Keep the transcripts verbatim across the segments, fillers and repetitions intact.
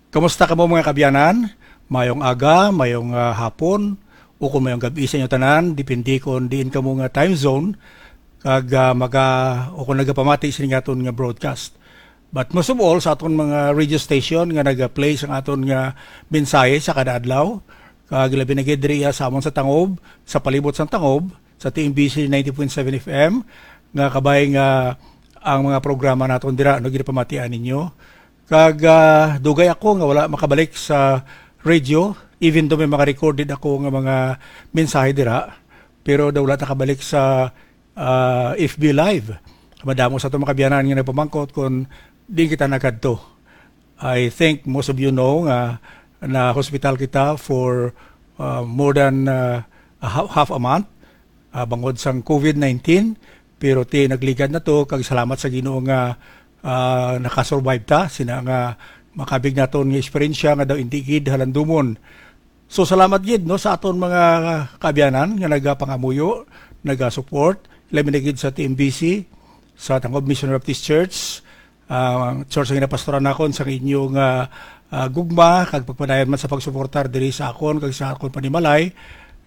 Kamusta kamo, mga kaabyanan? Mayong aga, mayong, ah, hapon, o kung mayong gab-i sa inyo tanan, depende kon diin kamo nga time zone, kag, ah, maga-, o kung nagapamati sini nga aton nga broadcast. But most of all, sa aton mga radio station nga nagaplay sang aton nga mensahe sa kada adlaw, kag labi na gid diri sa amon sa Tangob, sa palibot sang Tangob, sa T M B C ninety point seven F M, nga kabay nga ang mga programa naton dira, no, ginapamatian ninyo. Kag, ah, dugay ako nga wala makabalik sa radio, even though may mga recorded ako nga mga mensahe dira, pero daw wala nakabalik sa, ah, F B Live. Madamo sa aton mga kaabyanan nga nagpamangkot kung di kita nakadto. I think most of you know nga na-hospital kita for, ah, more than, ah, a ha-, half a month, ah, bangod sang covid nineteen, pero ti nagligad na to, kag salamat sa Ginoo nga, ah, nakasurvive ta sina nga makabig naton nga eksperyensya nga daw indi gid halandumon. So, salamat gid, no, sa aton mga kaabyanan nga nagapangamuyo, nagasupport, labi na gid sa T M B C, sa Tangob Mission Baptist Church, ah, church nga ginapastoran nakon, sa inyong, ah, ah, gugma kag pagpadayon man sa pagsuportar diri sa akon kag sa akon panimalay.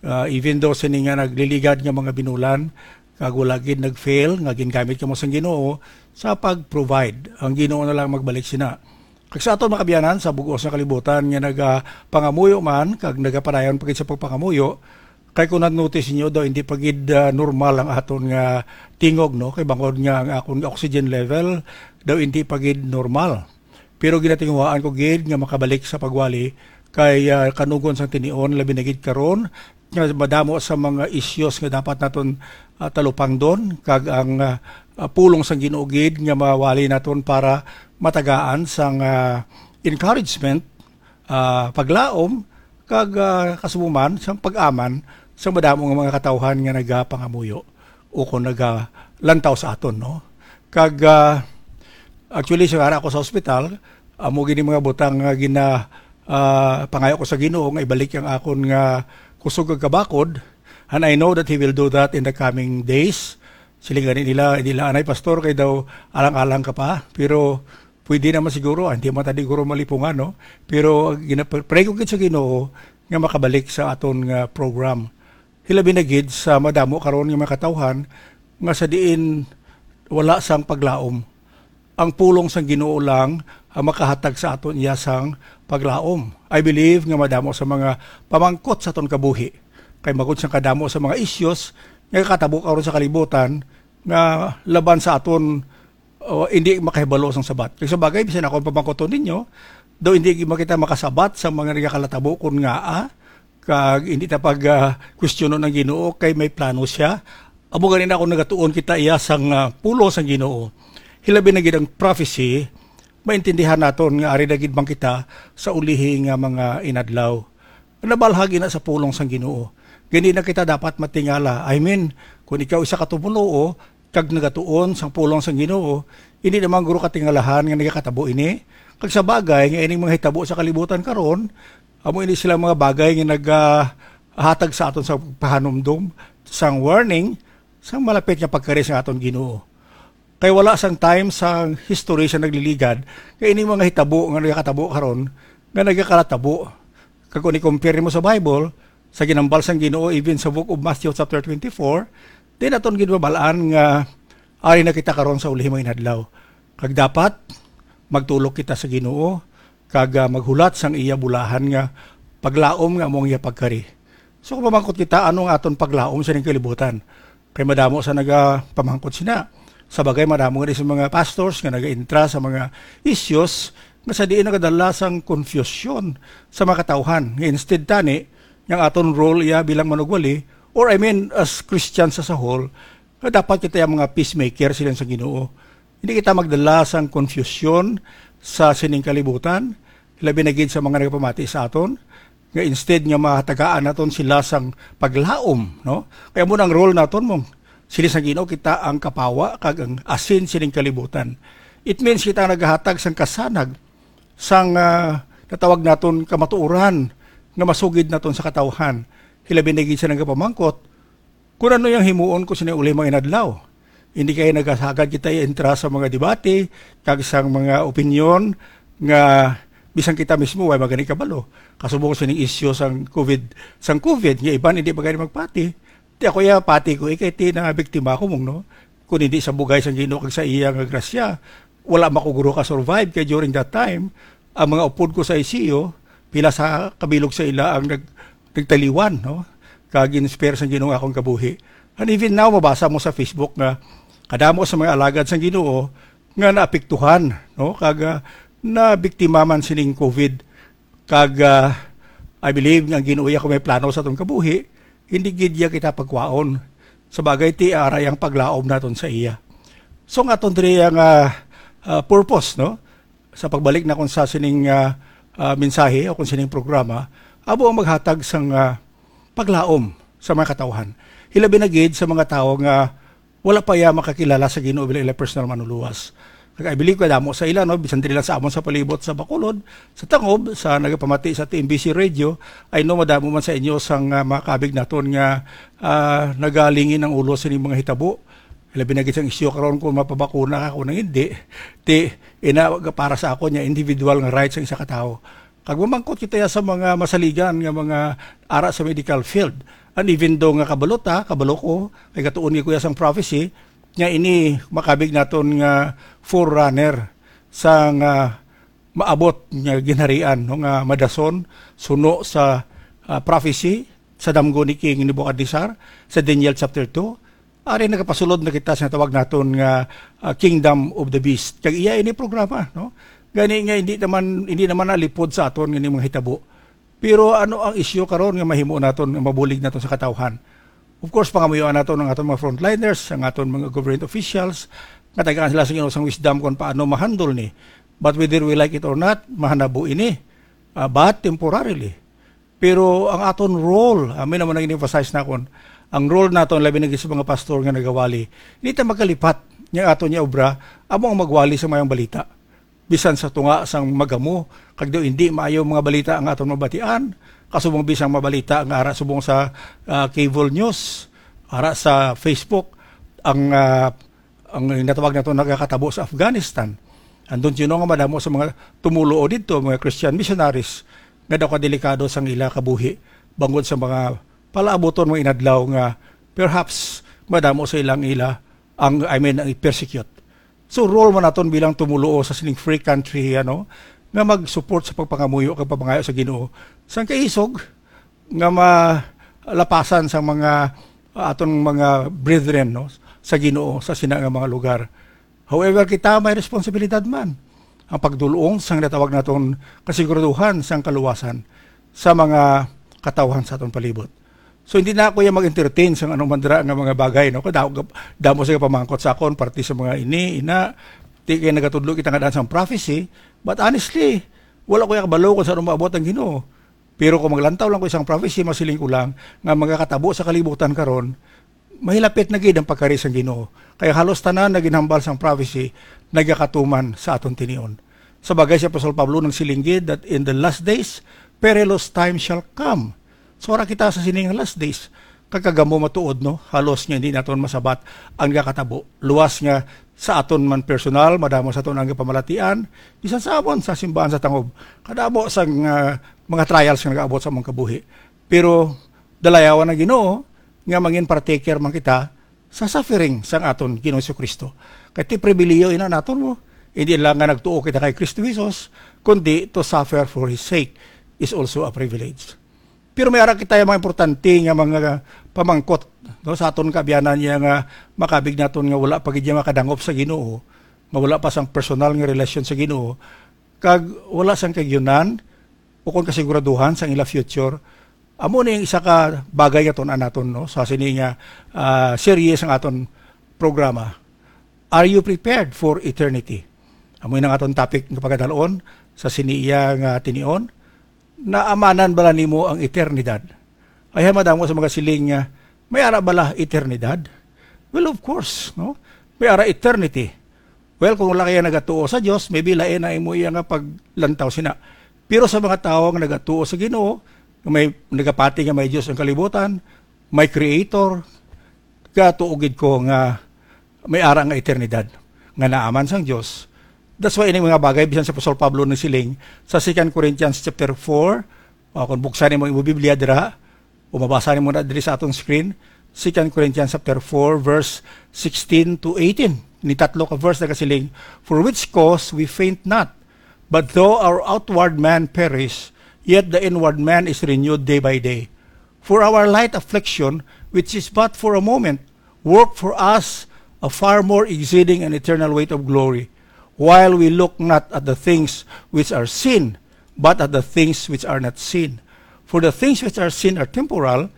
Ah, even though sini nga nagliligad nga mga binulan, kag wala gid nag-fail nga gingamit kamo sang Ginoo sa pag-provide. Ang Ginoo na lang magbalik sina. Kag sa aton mga kaabyanan sa bug-os nga kalibutan nga nagapangamuyo man kag nagapadayon pa gid sa pagpangamuyo, kay kung na-notice ninyo daw, hindi pa gid, ah, normal ang aton nga tingog, no? Kay bangod nga ang akon nga oxygen level daw hindi pa gid normal. Pero ginatinguhaan ko gid nga makabalik sa pagwali kay, ah, kanugon sang tinion, labi na gid karon nga madamo sa mga issues nga dapat naton, ah, talupangdon, kag ang, ah, ah, pulong sang Ginoo gid nga mawali naton para matagaan sang, ah, encouragement, ah, paglaom, kag, ah, kasubo man sang pag-aman sa madamo nga mga katawhan nga nagapangamuyo o kon nagalantaw sa aton, no? Kag, ah, actually, sa ara ako sa ospital, amo gini mga butang nga gina-, ah, pangayo ko sa Ginoo nga ibalik ang akon nga kusog kag kabakod. And I know that He will do that in the coming days. Siling gani nila, "Hindi lang anay, Pastor, kay daw alang-alang ka pa." Pero pwede naman siguro, ah, hindi man ta siguro malipungan, no? Pero gina-, pray ko gid sa Ginoo nga makabalik sa aton nga program. Hilabi na gid sa madamo karon nga mga katawhan nga sa diin wala sang paglaom. Ang pulong sang Ginoo lang ang makahatag sa aton iya sang paglaom. I believe nga madamo sa mga pamangkot sa aton kabuhi, kay magod sang kadamo sa mga issues nga katabo karon sa kalibutan nga laban sa aton, o, hindi makahibalo sang sabat. Kay sa bagay, bisan ako ang pamangkoton ninyo, daw hindi man kita makasabat sa mga nagakalatabo kon ngaa, kag hindi ta pag, ah, kwestiyonon ang Ginoo kay may plano siya. Amo gani na, kung nagatuon kita iya sang, ah, pulong sang Ginoo, hilabi na gid ang prophecy, maintindihan naton nga ari na gid man kita sa ulihi nga mga inadlaw. Nabalhag ina sa pulong sang Ginoo. Gani na kita dapat matingala. I mean, kung ikaw isa ka tumoluo kag nagatuon sang pulong sang Ginoo, hindi naman guro katingalahan nga nagakatabo ini. Kag sa bagay nga ining mga hitabo sa kalibutan karon, amo ini sila mga bagay nga nagahatag sa aton sa pahanumdom, sang warning, sang malapit nga pagkari sang aton Ginoo. Kay wala sang time sa history sa nagliligad, kay ini mga hitabo nga nagakatabo karon, nga nagakalatabo. Kag kung i-compare mo sa Bible, sa ginambal sang Ginoo, even sa book of Matthew chapter twenty-four, di naton gid mabal-an nga ari na kita karon sa ulihimo inadlaw. Kag dapat magtulok kita sa Ginoo, kag, ah, maghulat sang iya bulahan nga paglaom nga amo ang iya pagkari. So, kung mamangkot kita, ano ang aton paglaom sa ning kalibutan? Kay madamo sa nagapamangkot sina. Sa bagay, madamo nga sa mga pastors nga nagaintra sa mga issues nga sa diin nagadala sang konfusyon sa mga katawhan. Nga instead tani, nga ang aton role iya bilang manugwali, or I mean, as Christians as a whole, nga dapat kita ang mga peacemaker, siling sa Ginoo. Hindi kita magdala sang konfusyon sa sining kalibutan, labi na gid sa mga nagapamati sa aton, nga instead nga mahatagaan naton sila sang paglaom, no? Kaya mo nang role naton mong sila sa Ginoo, kita ang kapawa kag ang asin sining kalibutan. It means kita ang naghatag sang kasanag sang, ah, natawag naton kamatuoran nga masugid naton sa katawhan. Hilabi na gid sa nagapamangkot, kung ano yang himuon ko sa ulihimo inadlaw. Hindi kay nagasagad kita entra sa mga debate kag sang mga opinyon nga Bisan kita mismo, way magani kabalo. Kasubong sining isyu sang covid, sang covid, nga iban hindi pa gani magpati. Ti ako iya, pati ko, ikay ti na biktima ko mong, no? Kung hindi sa bugay sang Ginoo kag sa iya nga grasya, wala makuguro ka survive. Kay during that time, ang mga upod ko sa I C U, pila sa kabilog sa ila ang nag-, nagtaliwan, no? Kag in-spare sang Ginoo ang akong kabuhi. And even now, mabasa mo sa Facebook nga kadamo sa mga alagad sang Ginoo nga naapektuhan, no? Kag, ah, nabiktima man sining covid. Kag, ah, I believe nga ang Ginoo iya kung may plano sa atong kabuhi, hindi gid iya kita pagkwaon. Sa bagay, ti aray ang paglaom naton sa iya. So, ang aton diri nga, ah, purpose, no? Sa pagbalik na kung sa sining, ah, ah, mensahe o kung sining programa, amo ang maghatag sang, ah, paglaom sa mga katawhan. Hilabi na gid sa mga tawo nga wala pa iya makakilala sa Ginoo bilang ila personal manuluwas. Kag I believe kadamo sa ila, no, bisan diri lang sa amon sa palibot sa Bacolod, sa Tangob, sa nagapamati sa T M B C Radio, I know madamo man sa inyo sang, ah, mga kabig naton nga, ah, nagalingin ang ulo sa ining mga hitabo. Labi na gid sang isyu karon kung mapabakuna ka, kung hindi, ti, ina, para sa ako niya, individual nga rights ang isa ka tawo. Kag mamangkot kita ya sa mga masaligan nga mga ara sa medical field. And even though nga kabalo ta, kabalo ko, kay gatuon gid ko ya sang prophecy, nga ini makabig naton nga forerunner sa nga maabot nga ginharian, no, nga madason, suno sa, ah, prophecy sa damgo ni King Nebuchadnezzar sa Daniel chapter two. Ari nagapasulod na kita sa tawag naton nga, ah, Kingdom of the Beast. Kag iya ini programa, no? Gani nga hindi naman, hindi naman nalipod sa aton nga mga hitabo. Pero ano ang isyu karon nga mahimo naton, nga mabulig naton sa katawhan? Of course, pangamuyoan naton ang aton mga frontliners, ang aton mga government officials, nga tagaan sila sa Ginoo sang wisdom kung paano ma-handle ni. But whether we like it or not, mahanabo ini, ah, but temporarily. Pero ang aton role, amin naman ang in-emphasize nakon, ang role naton, labi na gid sa mga pastor nga nagawali, hindi ta magkalipat nga aton niya obra, amo ang magwali sa mayong balita. Bisan sa tunga sang magamo, kag daw hindi maayo mga balita ang aton mabatian, kasubong bisan mabalita nga ara subong sa, ah, cable news, ara sa Facebook, ang, ah, ang natawag nato nagakatabo sa Afghanistan. Andun sino nga madamo sa mga tumulo o didto, mga Christian missionaries, nga daw kadelikado sang ila kabuhi bangod sa mga palaabuton, mga inadlaw nga perhaps madamo sa ilang ila ang, I mean, ang i-persecute. So, role man naton bilang tumuluo sa sining free country, ano, nga mag-support sa pagpangamuyo kag pagpangayo sa Ginoo. Sang kaisog nga malapasan sa mga, ah, aton mga brethren, no, sa Ginoo, sa sina nga mga lugar. However, kita may responsibilidad man ang pagdulong sang natawag naton kasiguraduhan sang kaluwasan sa mga katawhan sa aton palibot. So, hindi na ako yung mag-entertain sa anong mandra nga mga bagay, no? Kada, damo sa pamangkot sa akon, parte sa mga ini, ina, di kay nagatudlo kita nga daan sang prophecy, but honestly, wala ko yung kabalo kung saan maabot ang Ginoo. Pero kung maglantaw lang ko isang prophecy, masiling ko lang nga magakatabo sa kalibutan karon, mahilapit na gid ang pagkari sang Ginoo. Kaya halos tanan na ginhambal sang prophecy nagakatuman sa aton tinion. Sa bagay si Apostol Pablo nang siling gid that in the last days, perilous times shall come. So, ara kita sa sining last days. Kagkagamo matuod, no? Halos nga hindi naton masabat ang gakatabo. Luwas nga sa aton man personal, madamo sa aton ang pamalatian, bisan sa amon sa simbahan sa Tangob. Kadamo sang, ah, mga trials nga nagaabot sa among kabuhi. Pero dalayawan ang Ginoo nga mangin partaker man kita sa suffering sang aton Ginoong Jesu-Cristo. Kay ti pribilihiyo ina naton mo, hindi lang nga nagtuo kita kay Kristo Jesus, kundi to suffer for His sake is also a privilege. Pero may ara kita yung mga importante nga mga pamangkot, no, sa aton kaabyanan niya nga makabig naton nga wala pa gid niya makadangop sa Ginoo, nga wala pa sang personal nga relasyon sa Ginoo, kag wala sang kagyunan o kon kasiguraduhan sang ila future. Amo ni ang isa ka bagay nga tun-an naton, no, sa sini nga, ah, series ang aton programa. Are you prepared for eternity? Amo na ang aton topic nga pagkadalon sa sini iya nga tinion. Naamanan bala nimo ang eternidad? Ay, madamo sa mga siling nga, may ara bala eternidad? Well, of course, no? May ara eternity. Well, kung wala kaya nagatuo sa Dios, maybe lain na imo iya nga paglantaw sina. Pero sa mga tawo nga nagatuo sa Ginoo, nga may nagapati nga may Dios ang kalibutan, may creator, gatuo gid ko nga may ara nga eternidad nga naaman sang Dios. That's why ini mga bagay, bisan si Apostol Pablo nagsiling sa Second Corinthians chapter four, uh, kung buksan nimo imong Biblia dira, o mabasa nimo na diri sa aton screen, Second Corinthians chapter four, verse sixteen to eighteen. Ni tatlo ka verse nagasiling, "For which cause we faint not, but though our outward man perish, yet the inward man is renewed day by day. For our light affliction, which is but for a moment, work for us a far more exceeding and eternal weight of glory, while we look not at the things which are seen, but at the things which are not seen. For the things which are seen are temporal,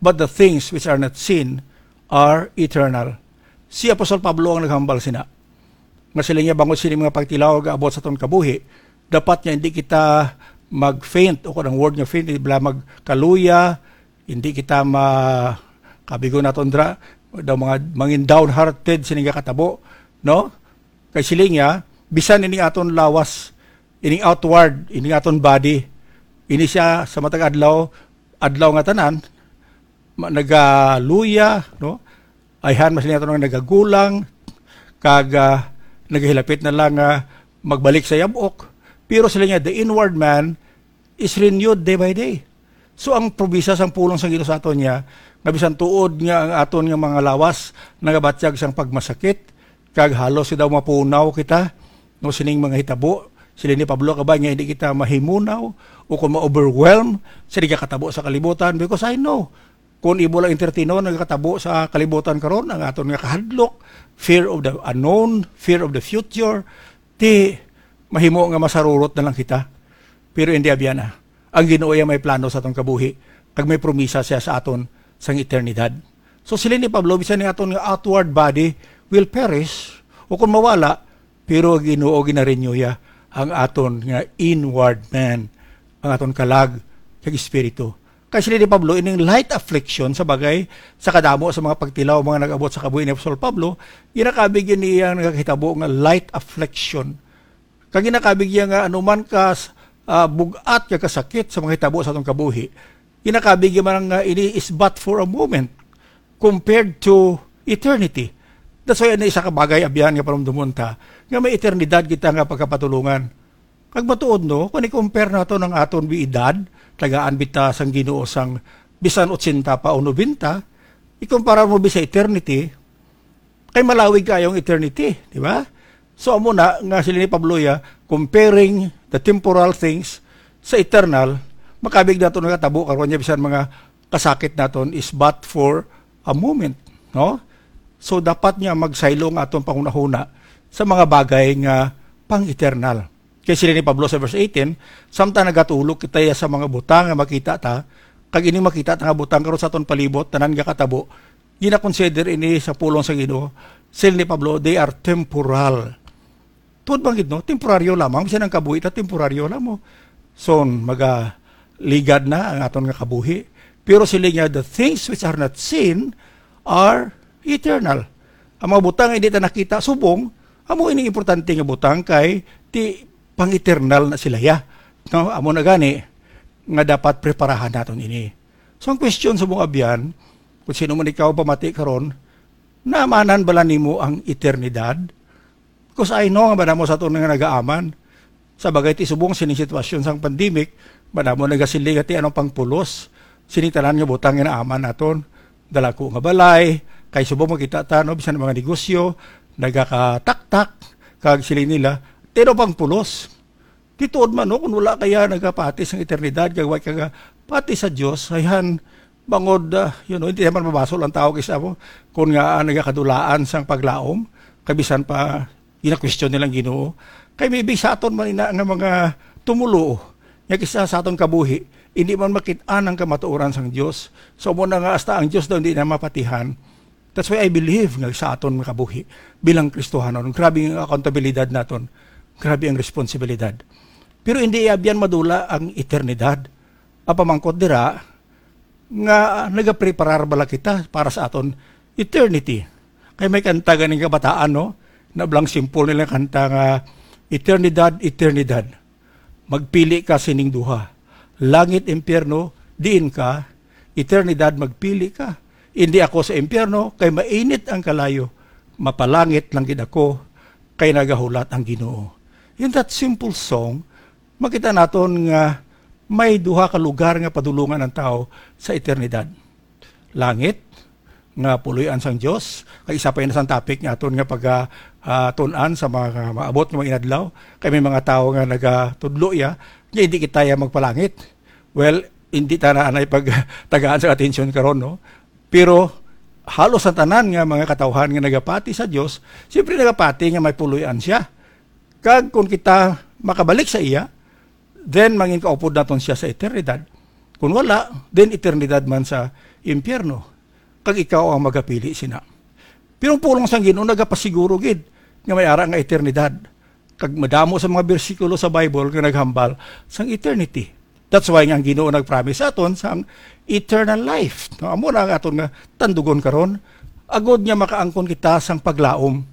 but the things which are not seen are eternal." Si Apostol Pablo ang naghambal sina. Nga sila niya bangod sini mga pagtilaw gaabot sa aton kabuhi, dapat nga hindi kita mag-faint, o kung ang word nga faint, hindi bala magkaluya, hindi kita ma-, kabigo naton dra, daw mga mangin downhearted sini nga katabo, no? Kay sila niya, bisan ining aton lawas, ining outward, ining aton body, ini siya sa matag adlaw, adlaw nga tanan, ma-, nagaluya, no? Ayhan mas niya nga nagagulang, kag, ah, nagahilapit na lang nga magbalik sa yabok. Pero sila niya, the inward man is renewed day by day. So, ang promisa sang pulong sang Ginoo sa aton niya, nga bisan tuod nga ang aton nga mga lawas nagabatyag sang pagmasakit, kag halos daw mapunaw kita, no, sining mga hitabo, sila ni Pablo, kabay nga hindi kita mahimunaw o kung ma-overwhelm sa nagakatabo sa kalibutan, because I know, kung imo lang entertainon, nagakatabo sa kalibutan karon ang aton nga kahadlok, fear of the unknown, fear of the future, ti mahimo nga masarurot na lang kita. Pero hindi, abyan na. Ang Ginoo iya may plano sa aton kabuhi, kag may promisa siya sa aton sang eternidad. So, sila ni Pablo, bisan ni aton nga outward body will perish, o kung mawala, pero ang Ginoo ginarenew ya ang aton nga inward man, ang aton kalag kag espiritu. Kay sila ni Pablo, ining light affliction, sa bagay, sa kadamo sa mga pagtilaw, mga nag-abot sa kabuhi ni Apostol Pablo, ginakabig yun niya nga nagakahitabo nga light affliction. Kag ginakabig niya nga anuman ka, ah, bug-at ka kasakit sa mga hitabo sa atong kabuhi, ginakabig niya man nga ini is but for a moment compared to eternity. That's why, ano, isa ka bagay, abyan, nga panumdumon ta, nga may eternidad kita nga pagkapatulungan. Kag matuod, no, kung i-compare naton ang aton bi edad, tagaan bita sang Ginoo sang bisan otsenta pa o nobenta, ikumpara mo bi sa eternity, kay malawig kayo ang eternity, di ba? So, amo na nga sila ni Pablo ya, comparing the temporal things sa eternal, makabig nato nakatabo karon niya bisan mga kasakit naton is but for a moment, no? So, dapat nga magsaylo ang aton panghunahuna sa mga bagay nga pang-eternal. Kay sila ni Pablo sa verse eighteen, "Samtang nagatulog kita ya sa mga butang nga makita ta, kag ining makita ta nga butang karon sa aton palibot, tanan nga katabo, ginakonsider ini sa pulong sa Ginoo." Sila ni Pablo, they are temporal. Tuod man gid, no? Temporaryo lamang. Bisan ang kabuhi ta, temporaryo lamang. So, magaligad na ang aton nga kabuhi. Pero sila nga, "The things which are not seen are eternal." Ang mga butang nga hindi ta nakita, subong, amo ini importante nga butang kay ti pang-eternal na sila ya. No? Amo na gani nga dapat preparahan naton ini. So, ang question sa mga abyan, kung sino man ikaw pamati karon, naamanan bala nimo ang eternidad? Because I know nga madamo sa aton nga nagaaman. Sa bagay, ti subong sining sitwasyon sang pandemic, madamo nagasiling nga ti ano pang pulos sining tanan nga butang nga naaman naton. Dalagko nga balay, kay subong makita ta, no, bisan ang mga negosyo, nagakataktak, kag siling nila, ti ano pang pulos. Ti tuod man, no, kung wala kaya nagapati sang eternidad, kag wa ka pati sa Dios, ayhan, bangod, ah, you know, hindi naman mabasol ang tao kay sa mo, kung nga, ah, nagakadulaan sang paglaom, kabisan pa, ginakwestiyon nilang Ginoo. Kay maybe sa aton man ina nga mga tumulo, nga kisa sa aton kabuhi, hindi man makit-an ang kamatuoran sang Dios. So, mo na nga hasta ang Dios daw hindi na mapatihan. That's why I believe nga sa aton nga kabuhi bilang Kristohanon, grabe ang accountabilidad naton, grabe ang responsibilidad. Pero hindi abyan madula ang eternidad. Ang pamangkot dira, nga nagapreparar bala kita para sa aton eternity? Kay may kanta ganing kabataan, no? Na blang simple nila kanta nga, "Eternidad, eternidad, magpili ka sining duha. Langit, impyerno, diin ka? Eternidad, magpili ka. Indi ako sa impyerno, kay mainit ang kalayo. Mapalangit lang gid ako, kay nagahulat ang Ginoo." In that simple song, makita naton nga may duha ka lugar nga padulungan ang tawo sa eternidad. Langit, nga puloy-an sang Dios. Kay isa pa yun sang topic nga aton nga pag, ah, tun-an sa mga maabot nga mga inadlaw. Kay may mga tawo nga nagatudlo iya, nga hindi kita iya magpalangit. Well, hindi ta na anay pagtagaan sa atensyon karon, no? Pero halos ang tanan nga mga katawhan nga nagapati sa Dios, siyempre nagapati nga may puloy-an siya. Kag kung kita makabalik sa iya, then mangin kaupod naton siya sa eternidad. Kung wala, then eternidad man sa impyerno. Kag ikaw ang magapili sina. Pero ang pulong sang Ginoo nagapasiguro gid nga may ara nga eternidad. Kag madamo sa mga bersikulo sa Bible nga naghambal sang eternity. That's why nga ang Ginoo nag-promise sa aton sang eternal life. No, amo na ang aton nga tandugon karon, agod nga makaangkon kita sang paglaom.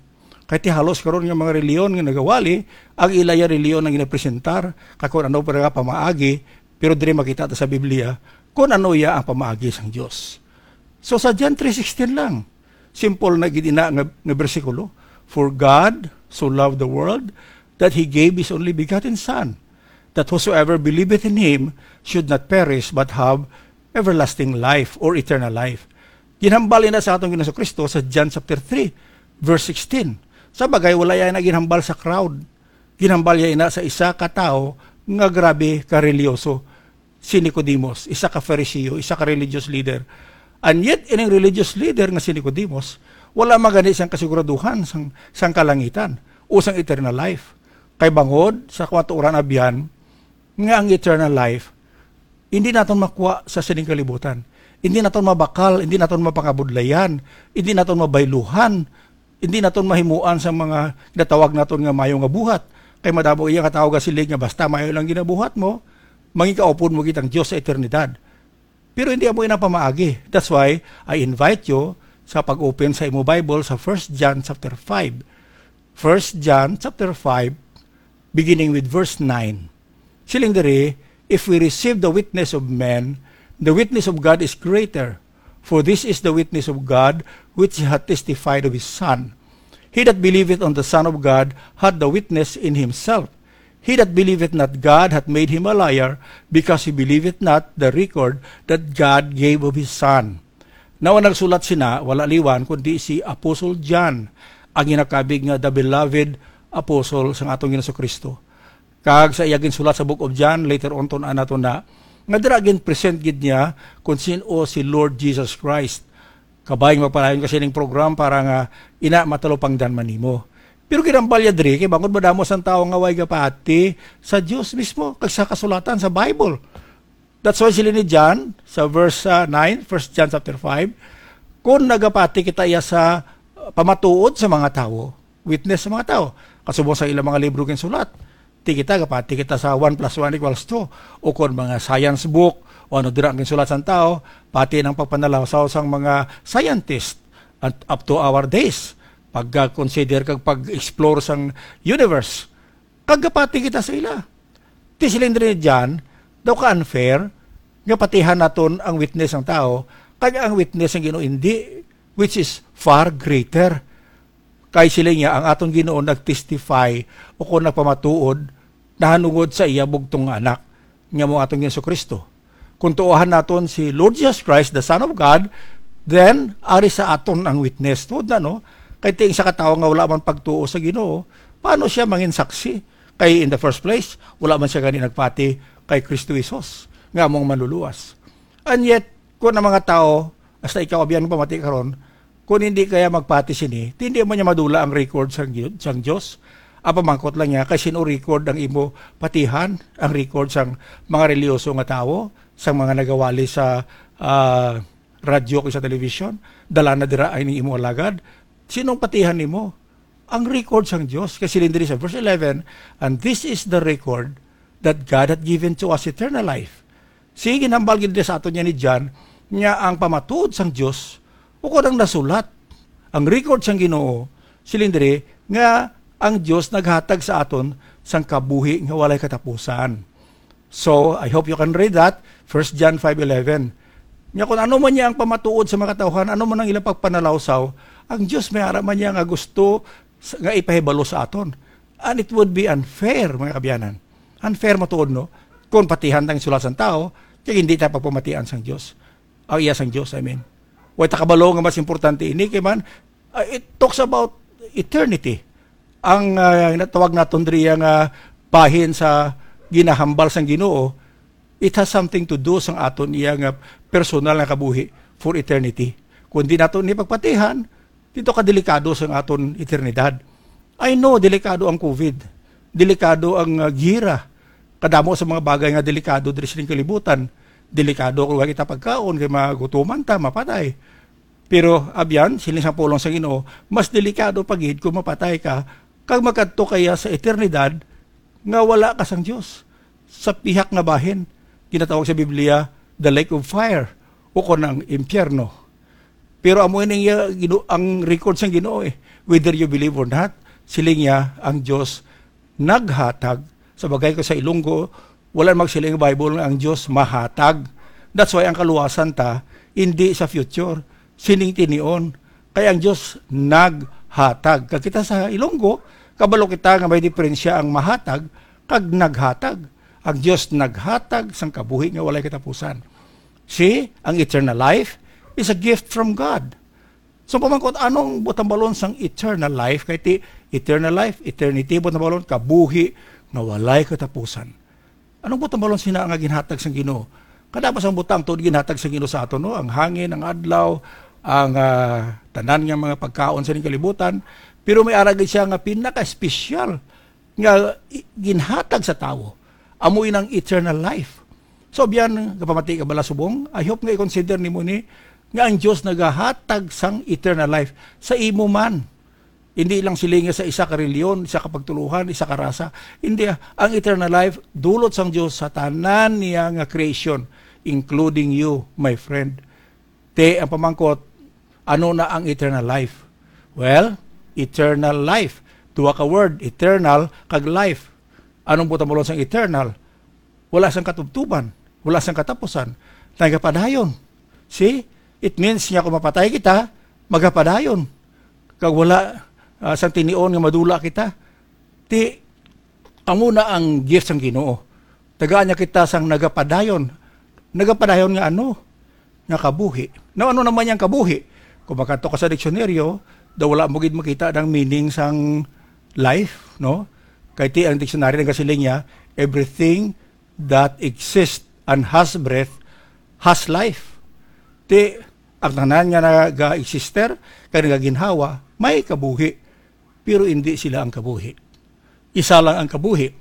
Kay ti halos karon nga mga reliyon nga nagawali, ang ila ya reliyon ang ginapresentar, kag kung ano pa nga pamaagi, pero diri makita ta sa Biblia kung ano iya ang pamaagi sang Dios. So sa John three sixteen lang, simple na gid ina nga, nga bersikulo, "For God so loved the world that He gave His only begotten Son, that whosoever believeth in Him should not perish but have everlasting life or eternal life." Ginhambal ina sa aton Ginoong Kristo sa John chapter three, verse sixteen. Sa bagay, wala iya na ginhambal sa crowd. Ginhambal iya ina sa isa ka tawo nga grabe ka reliyoso, si Nicodemus, isa ka Fariseo, isa ka religious leader. And yet, ining religious leader nga si Nicodemus, wala man gani siyang kasiguraduhan sang, sang kalangitan o sang eternal life. Kay bangod sa kamatuoran abyan nga ang eternal life, hindi naton makuha sa sining kalibutan. Hindi naton mabakal, hindi naton mapangabudlayan, hindi naton mabayluhan, hindi naton mahimuan sang mga ginatawag naton nga mayo nga buhat. Kay madamo iya nga tawo gasiling nga basta mayo lang ginabuhat mo, mangikaupod mo kitang Dios sa eternidad. Pero hindi amo ina pamaagi. That's why I invite you sa pag-open sa imo Bible sa First John chapter five. First John chapter five, beginning with verse nine. Siling diri, "If we receive the witness of men, the witness of God is greater. For this is the witness of God, which He hath testified of His Son. He that believeth on the Son of God hath the witness in himself. He that believeth not God hath made him a liar, because he believeth not the record that God gave of His Son." Now, ang nagsulat sina, wala liwan, kundi si Apostle John, ang ginakabig nga the beloved apostle sang aton Ginoong Kristo. Kag sa iya ginsulat sa Book of John, later on, tun-an nato na, nga dira gin-present gid niya kung sin-o si Lord Jesus Christ. Kabay nga magpadayon ka sining program para nga ina matalupangdan man nimo. Pero ginhambal niya diri, kay bangod madamo sang tawo nga way gapati sa Dios mismo, kag sa kasulatan sa Bible. That's why siling ni John, sa verse, ah, nine, First John chapter five, kung nagapati kita iya sa, uh, pamatuod sa mga tawo, witness sa mga tawo, kasubong sa ilang mga libro ginsulat, ti kita gapati kita sa one plus one equals two, o kon mga science book, o ano dira ang ginsulat sang tawo, pati ang pagpanalawsaw sang mga scientist, at up to our days, pag-consider kag pag-explore sang universe. Kag gapati kita sa ila. Ti siling diri ni John, daw ka-unfair nga patihan naton ang witness sang tawo, kag ang witness sang Ginoo indi, which is far greater. Kay siling niya, ang aton Ginoo nag-testify o kon nagpamatuod nahanungod sa iya bugtong nga Anak, nga mao aton Jesu-Cristo. Kung tuohan naton si Lord Jesus Christ, the Son of God, then ari sa aton ang witness. Tuod na, no? Kay ti ang isa ka tawo nga wala man pagtuo sa Ginoo, paano siya mangin saksi? Kay in the first place, wala man siya gani nagpati kay Kristo Jesus nga among Manluluwas. And yet, kung ang mga tawo, hasta ikaw, abyan, pamati karon, kung hindi kaya magpati sini, ti hindi mo niya madula ang record sang Gi-, sang Dios. Ang pamangkot lang niya, kay sino record ang imo patihan, ang record sang mga reliyoso nga tawo, sang mga nagawali sa, ah, radyo kag sa television, dala na dira ang imo alagad. Sinong patihan nimo? Ang record sang Dios. Kay siling diri sa verse eleven, "And this is the record, that God hath given to us eternal life." Sige, ginhambal gid sa aton niya ni John, nga ang pamatuod sang Dios, ukon ang nasulat, ang record sang Ginoo, siling diri nga ang Dios naghatag sa aton sang kabuhi nga walay katapusan. So, I hope you can read that, First John five eleven. Nga kung ano man niya ang pamatuod sa mga katawhan, ano man ang ilang pagpanalawsaw, ang Dios may ara man niya nga gusto s-, nga ipahibalo sa aton. And it would be unfair, mga kaabyanan. Unfair matuod, no? Kung patihan tang sulat sang tawo, kay hindi ta pagpamatian sang Dios. Ang iya sang Dios, I mean. Way ta kabalo nga mas importante ini, kay man, uh, it talks about eternity. Ang, uh, natawag naton diri nga bahin sa ginahambal sang Ginoo, it has something to do sang aton iya nga personal nga kabuhi for eternity. Kung di naton ni pagpatihan, dito ka delikado sang aton eternidad. I know, delikado ang covid. Delikado ang, uh, gira. Kadamo sa mga bagay nga delikado diri sining kalibutan. Delikado kung wala kita pagkaon, kay magutuman ta, mapatay. Pero, abyan, siling sang pulong sa Ginoo, mas delikado pa gid kung mapatay ka, kag makadto kaya sa eternidad nga wala ka sang Dios. Sa pihak nga bahin, ginatawag sa Biblia, the lake of fire, o kon ang impyerno. Pero amo ini nga Gino-, ang record sang Ginoo, eh. Whether you believe or not, siling niya, ang Dios naghatag. Sa bagay ko sa Ilonggo, wala magsiling ang Bible nga ang Dios mahatag. That's why ang kaluwasan ta, hindi sa future, sining tinion. Kay ang Dios naghatag. Kag kita sa Ilonggo, kabalo kita nga may diferensya ang mahatag kag naghatag. Ang Dios naghatag sang kabuhi nga walay katapusan. See, ang eternal life is a gift from God. So, pamangkot, anong buot hambalon sang eternal life? Kay ti, eternal life, eternity, buot hambalon, kabuhi nga walay katapusan. Anong buot hambalon sina nga ginhatag sang Ginoo? Kadamo sang butang tuod ginhatag sang Ginoo sa aton, no? Ang hangin, ang adlaw, ang, ah, tanan nga mga pagkaon sa ning kalibutan. Pero may ara gid siya nga pinaka-espesyal nga i-, ginhatag sa tawo. Amo inang eternal life. So, biyan, kapamati ka bala subong, I hope nga i-consider nimo ni nga ang Dios nagahatag sang eternal life sa imo man. Hindi lang silingi sa isa ka reliyon, isa ka pagtuluhan, isa ka rasa. Hindi, ah. Ang eternal life, dulot sang Dios sa tanan niya nga creation, including you, my friend. Te, ang pamangkot, ano na ang eternal life? Well, eternal life. Duha ka word, eternal kag life. Anong buot hambalon sang eternal? Wala sang katubtuban, wala sang katapusan. Nagapadayon. See? It means nga kung mapatay kita, magapadayon. Kag wala, ah, sang tinion nga madula kita. Ti, amo na ang gift sang Ginoo. Tagaan niya kita sang nagapadayon. Nagapadayon nga ano? Nga kabuhi. Now, ano naman yang kabuhi? Kung makadto ka sa diksyonaryo, daw wala mo gid makita ang meaning sang life, no? Kay ti ang dictionary nagasiling niya, "Everything that exists and has breath has life." Ti, ang tanan nga naga-exister, kag nagaginhawa, may kabuhi. Pero hindi sila ang kabuhi. Isa lang ang kabuhi.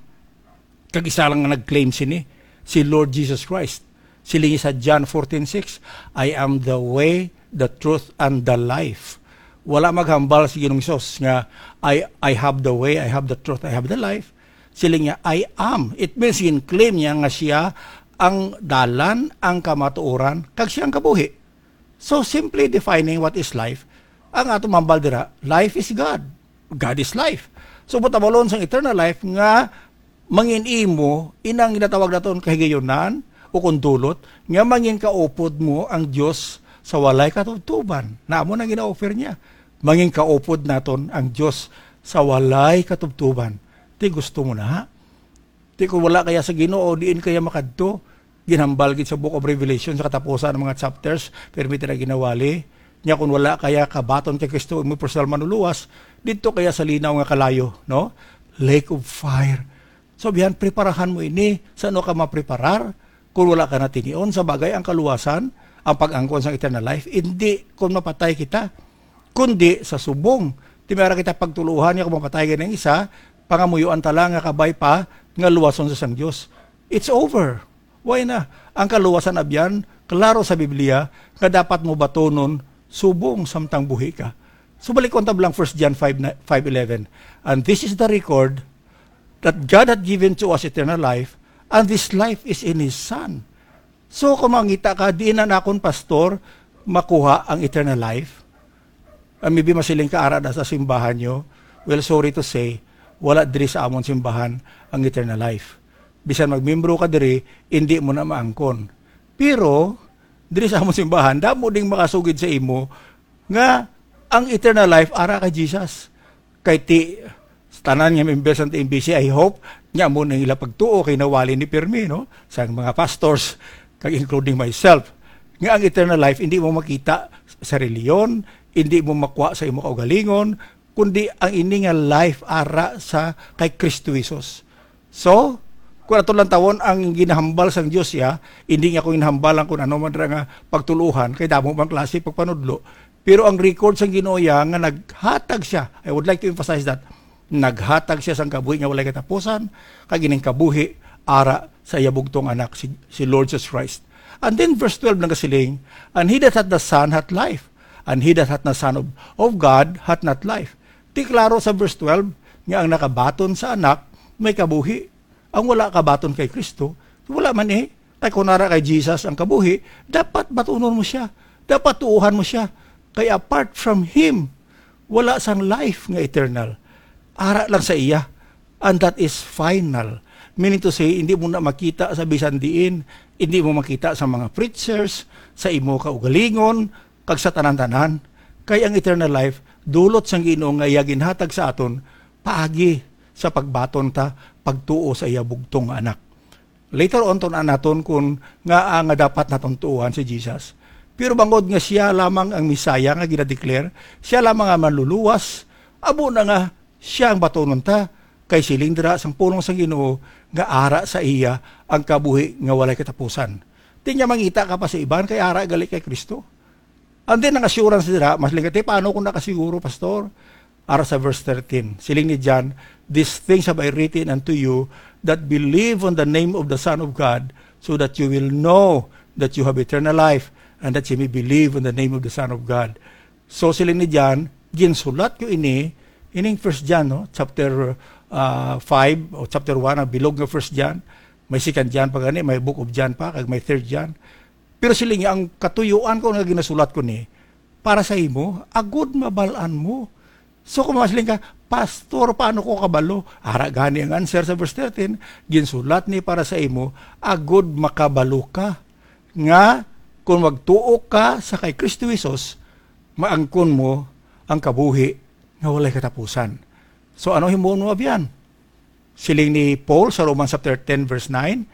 Kag isa lang ang nag-claim sini, si Lord Jesus Christ. Siling sa John fourteen six, "I am the way, the truth, and the life." Wala maghambal si Ginoong Hesus nga, "I, I have the way, I have the truth, I have the life." Siling niya, "I am." It means, gin-claim niya nga siya ang dalan, ang kamatuoran, kag siya ang kabuhi. So, simply defining what is life, ang ato mambal dira, life is God. God is life. So, buot hambalon sang eternal life nga mangin imo inang ginatawag naton kahigayunan o kung dulot nga mangin kaupod mo ang Dios sa walay katubtuban. Na amo nang gina-offer niya. Mangin kaupod naton ang Dios sa walay katubtuban. Ti gusto mo na? Ti kung wala kaya sa Ginoo, diin kaya makadto? Ginhambal gid sa Book of Revelation sa katapusan ng mga chapters, pirmi ta na ginawali. Nya kung wala kaya kabaton kay Kristo, imo personal manuluwas, didto kaya sa linaw nga kalayo, no? Lake of fire. So, biyan, preparahan mo ini. Sa ano ka mapreparar? Kung wala ka na tinion, sa bagay, ang kaluwasan, ang pag-angkon sa eternal life, hindi kung mapatay kita, kundi sa subong. Ti may ara kita pagtuluhan nga kung mapatay gani ang isa, pangamuyoan ta lang nga kabay pa nga luwason sa sang Dios. It's over. Why na? Ang kaluwasan abyan, klaro sa Biblia nga dapat mo batunon subong samtang buhi ka. So, balikon ta lang First John five na, five eleven. "And this is the record, that God hath given to us eternal life, and this life is in His Son." So, kung mangita ka, "Diin na nakon, Pastor, makuha ang eternal life?" Ah, maybe masiling ka, "Ara na sa simbahan nyo." Well, sorry to say, wala diri sa amon simbahan ang eternal life. Bisan magmembro ka diri, hindi mo na maangkon. Pero, diri sa amon simbahan, damo ding makasugid sa imo nga ang eternal life ara kay Jesus. Kay ti, tanan nga members sang T M B C, I hope, nga amo na ila pagtuo kay nawali ni pirmi, no? Sang mga pastors, kag including myself, nga ang eternal life hindi mo makita sa reliyon, hindi mo makuha sa imo kaugalingon, kundi ang ini nga life ara sa kay Kristo Jesus. So, kung ato lang tawon ang ginahambal sang Dios, ya, hindi nga ko ginahambalan kung ano man ra nga pagtuluhan, kay damo bang klase pagpanudlo. Pero ang record sang Ginoo, ya, nga naghatag siya, I would like to emphasize that, naghatag siya sang kabuhi nga walay katapusan, kag ining kabuhi ara sa iya bugtong anak, si, si Lord Jesus Christ. And then verse twelve nagasiling, "And he that hath the Son hath life, and he that hath the Son of, of God hath not life." Ti klaro sa verse twelve nga ang nakabaton sa anak may kabuhi. Ang wala kabaton kay Kristo, wala man eh. Kay kung ara kay Jesus ang kabuhi, dapat batunon mo siya. Dapat tuuhan mo siya. Kay apart from him, wala sang life nga eternal. Ara lang sa iya. And that is final. Meaning to say, hindi mo na makita sa bisan diin. Hindi mo makita sa mga preachers, sa imo kaugalingon, kag sa tanan-tanan. Kay ang eternal life, dulot sang Ginoo nga iya ginhatag sa aton, paagi sa pagbaton ta, pagtuo sa iya bugtong nga anak. Later on, tun-an naton kung ngaa nga dapat naton tuohan si Jesus. Pero bangod nga siya lamang ang Messiah nga ginadeclare, siya lamang ang manluluwas, amo na nga siya ang batunon ta, kay siling dira sang pulong sang Ginoo nga ara sa iya ang kabuhi nga walay katapusan. Di niya mangita ka pa sa iban kay ara gali kay Kristo. And then ang assurance dira, mas lingati, paano kung nakasiguro, Pastor? Ara sa verse thirteen, siling ni John, "These things have I written unto you that believe on the name of the Son of God, so that you will know that you have eternal life, and that you may believe on the name of the Son of God." So siling ni John, ginsulat ko ini, ining First John, no? Chapter ah, five o chapter one, ang bilog nga First John. May Second John pa gani, may Book of John pa, kag may Third John. Pero siling niya, ang katuyuan ko nga ginasulat ko ni, para sa imo, agud mabal-an mo. So kung masiling ka, "Pastor, paano ko kabalo?" Ara gani ang answer sa verse thirteen, "Ginsulat ni para sa imo, agud makabalo ka, nga kung magtuo ka sa kay Kristo Jesus, maangkon mo ang kabuhi nga walay katapusan." So ano himuon mo, abyan? Siling ni Paul sa Romans chapter ten, verse nine,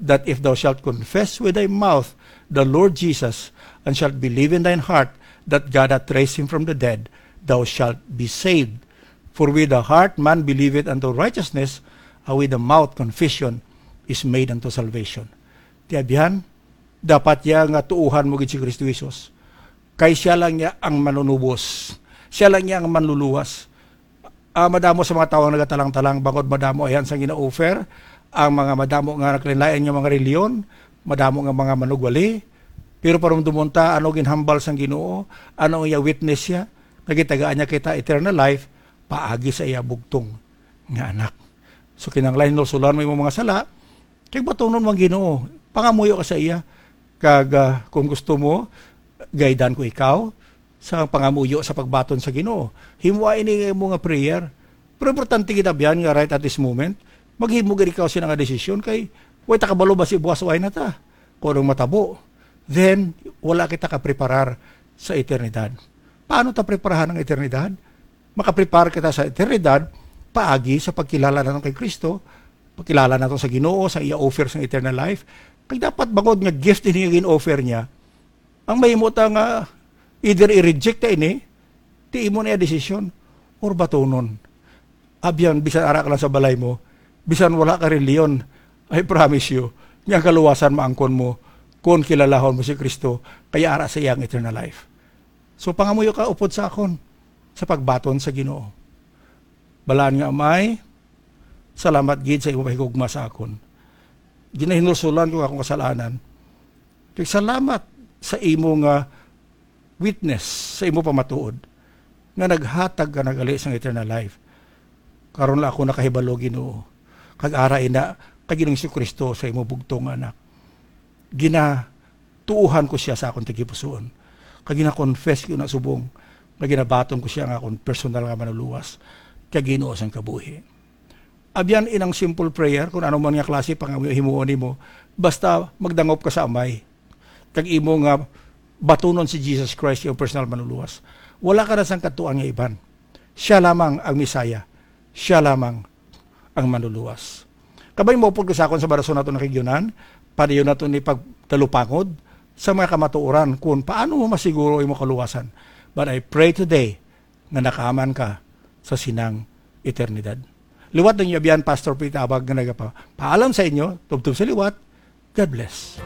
that if thou shalt confess with thy mouth the Lord Jesus, and shalt believe in thine heart that God hath raised him from the dead, thou shalt be saved. For with the heart man believeth unto righteousness, and with the mouth confession is made unto salvation. Ti abyan, dapat ya nga tuuhan mo gid si Kristo Jesus. Kay siya lang niya ang manunubos. Siya lang niya ang manluluwas. Ah, madamo sa mga tawo ang nagatalang-talang bangod madamo ayan sang gina-offer ang mga madamo nga nagkalain-lain nga mga reliyon, madamo nga mga manugwali. Pero parumdumon ta ano ginhambal sang Ginoo, ano ang iya witness siya, nagitagaan niya kita eternal life paagi sa iya bugtong nga anak. So kinahanglan hinulsulan mo imong mga sala, kay batunon mo ang Ginoo, pangamuyo ka sa iya, kag ah, kung gusto mo, gaidan ko ikaw sa pangamuyo sa pagbaton sa Ginoo. Himoa ini nga imo nga prayer. Pero importante gid abyan nga right at this moment, maghimo gid ikaw sina nga desisyon kay way ta kabalo ba si buwas way na ta kung anong matabo. Then, wala kita kapreparar sa eternidad. Paano ta preparahan ang eternidad? Makaprepare kita sa eternidad paagi sa pagkilala nato kay Kristo, pagkilala nato sa Ginoo, sa iya offer sa eternal life. Kay dapat bangod nga gift ini nga gin-offer niya, ang mahimo ta nga either i-reject ta ini, ti imo na iya desisyon, or batunon. Abyan, bisan ara ka lang sa balay mo, bisan wala ka reliyon, I promise you, nga ang kaluwasan maangkon mo kung kilalahon mo si Kristo, kay ara sa iya ang eternal life. So, pangamuyo ka upod sa akon sa pagbaton sa Ginoo. Balaan nga Amay, salamat gid sa imo pahigugma sa akon. Ginahinulsulan ko akong kasalanan. Kag salamat sa imo nga witness, sa imo pamatuod, nga naghatag ka nagali sang eternal life. Karon lang ako nakahibalo, Ginoo. Kag ara ina kay Ginoong Jesu-Cristo sa imo bugtong nga anak. Ginatuohan ko siya sa akon tagipusoon. Kag gina-confess ko na subong nga ginabaton ko siya nga akon personal nga manuluwas kag Ginoo sang kabuhi. Abyan inang simple prayer, kung ano man nga klase pangamuyo himuon nimo, basta magdangop ka sa Amay kag imo nga batunon si Jesus Christ, iyang personal manuluwas. Wala ka na sang katuan nga iban. Siya lamang ang Messiah. siya lamang ang manluluwas. Kabay mo pod ko sa akon sa barason nato nga kaigsunan, padayon nato ni pagtalupangod sa mga kamatuoran kung paano mo masiguro imong kaluwasan. But I pray today nga nakaaman ka sa sinang eternidad. Liwat ninyo, abyan, Pastor Pete Abag nga nagapapaalam sa inyo, tubtob sa liwat. God bless.